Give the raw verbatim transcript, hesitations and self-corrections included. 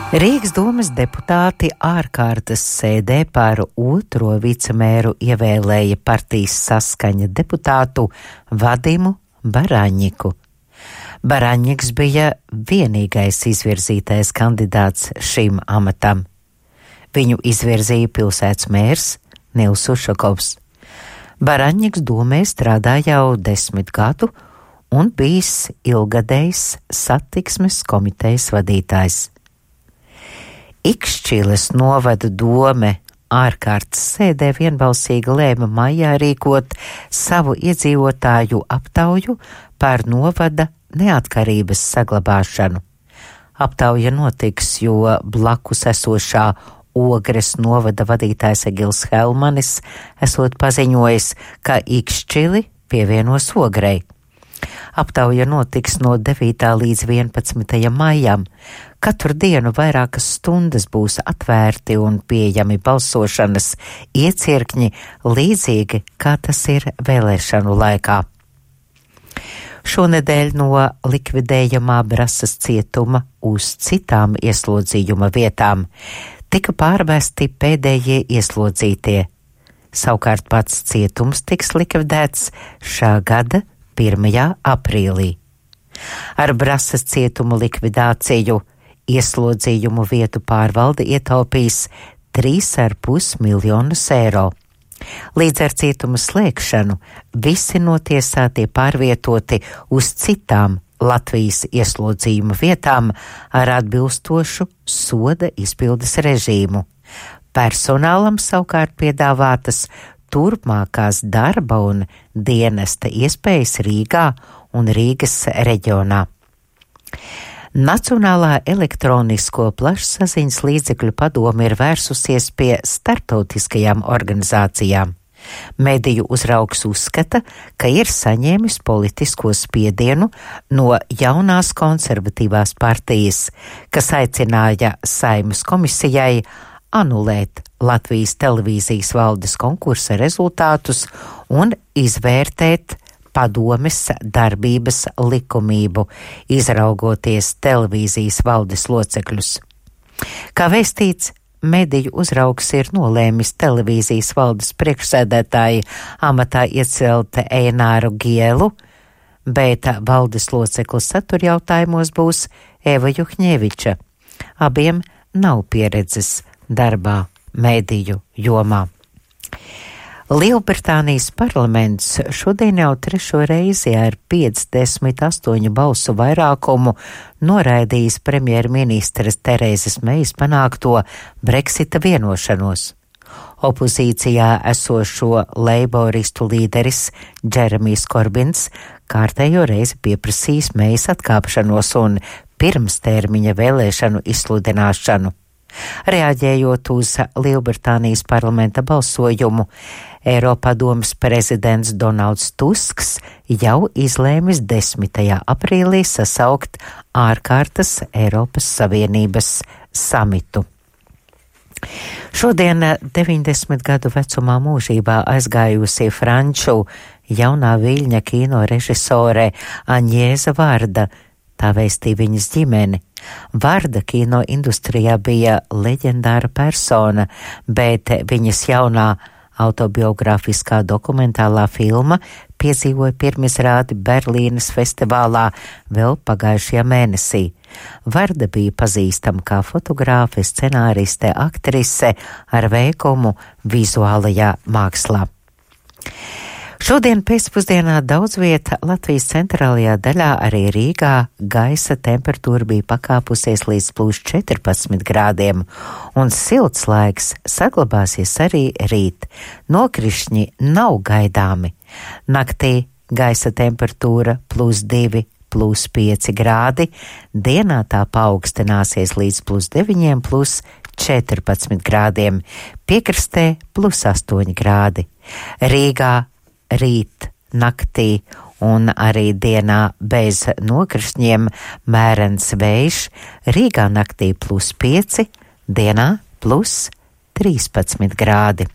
Rīgas domas deputāti ārkārtas sēdē par otro vicemēru ievēlēja partijas Saskaņa deputātu Vadimu Baraņiku. Baraņiks bija vienīgais izvirzītais kandidāts šim amatam. Viņu izvirzīja pilsētas mērs Nils Ušakovs. Baraņiks domē strādā jau desmit gadu un bijis ilgadējs satiksmes komitejas vadītājs. Ikšķiles novada dome ārkārtas sēdē vienbalsīgi lēma maijā rīkot savu iedzīvotāju aptauju par novada neatkarības saglabāšanu. Aptauja notiks, jo blakus esošā Ogres novada vadītājs Egils Helmanis esot paziņojis, ka Ikšķili pievienos Ogrei. Aptauja notiks no devītā līdz vienpadsmitajam maijam. Katru dienu vairākas stundas būs atvērti un pieejami balsošanas iecirkņi, līdzīgi kā tas ir vēlēšanu laikā. Šonedēļ no likvidējamā Brasas cietuma uz citām ieslodzījuma vietām tika pārvesti pēdējie ieslodzītie. Savukārt pats cietums tiks likvidēts šā gada pirmajā aprīlī. Ar Brasas cietuma likvidāciju ieslodzījumu vietu pārvalde ietaupīs trīs ar pus miljonus eiro. Līdz ar cietuma slēgšanu visi notiesātie pārvietoti uz citām Latvijas ieslodzījuma vietām ar atbilstošu soda izpildes režīmu. Personālam savukārt piedāvātas turpmākās darba un dienesta iespējas Rīgā un Rīgas reģionā. Nacionālā elektronisko plašsaziņas līdzekļu padome ir vērsusies pie starptautiskajām organizācijām. Mediju uzraugs uzskata, ka ir saņēmis politisko spiedienu no jaunās konservatīvās partijas, kas aicināja Saeimas komisijai anulēt Latvijas televīzijas valdes konkursa rezultātus un izvērtēt padomes darbības likumību, izraugoties televīzijas valdes locekļus. Kā vēstīts, mediju uzraugs ir nolēmis televīzijas valdes priekšsēdētāja amatā iecelt Eināru Gielu, bet valdes loceklis satura jautājumos būs Eva Juhņeviča. Abiem nav pieredzes darbā mediju jomā. Lielbritānijas parlaments šodien jau trešo reizi ar piecdesmit astoņu balsu vairākumu noraidījis premjerministres Terēzes Meijas panākto Brexita vienošanos. Opozīcijā esošo leiboristu līderis Džeremijs Korbins kārtējo reizi pieprasījis Mejas atkāpšanos un pirmstermiņa vēlēšanu izsludināšanu. Reaģējot uz Lielbritānijas parlamenta balsojumu, Eiropadomes prezidents Donalds Tusks jau izlēmis desmitajā aprīlī sasaukt ārkārtas Eiropas Savienības samitu. Šodien deviņdesmit gadu vecumā mūžībā aizgājusi franču jaunā Viļņa kino režisore Aņēza Varda, tā vēstīja viņas ģimeni. Varda kino industrijā bija leģendāra persona, bet viņas jaunā autobiogrāfiskā dokumentālā filma piedzīvoja pirmizrādi Berlīnes festivālā vēl pagājušajā mēnesī. Varda bija pazīstama kā fotogrāfe, scenāriste, aktrise ar veikumu vizuālajā mākslā. Šodien pēcpusdienā daudz vieta Latvijas centrālajā daļā, arī Rīgā, gaisa temperatūra bija pakāpusies līdz plus četrpadsmit grādiem, un silts laiks saglabāsies arī rīt. Nokrišņi nav gaidāmi. Naktī gaisa temperatūra plus divi, plus pieci grādi, dienā tā paaugstināsies līdz plus deviņiem, plus četrpadsmit grādiem, piekrastē plus astoņi grādi. Rīgā rīt, naktī un arī dienā bez nokrišņiem mērens vējš, Rīgā naktī plus pieci, dienā plus trīspadsmit grādi.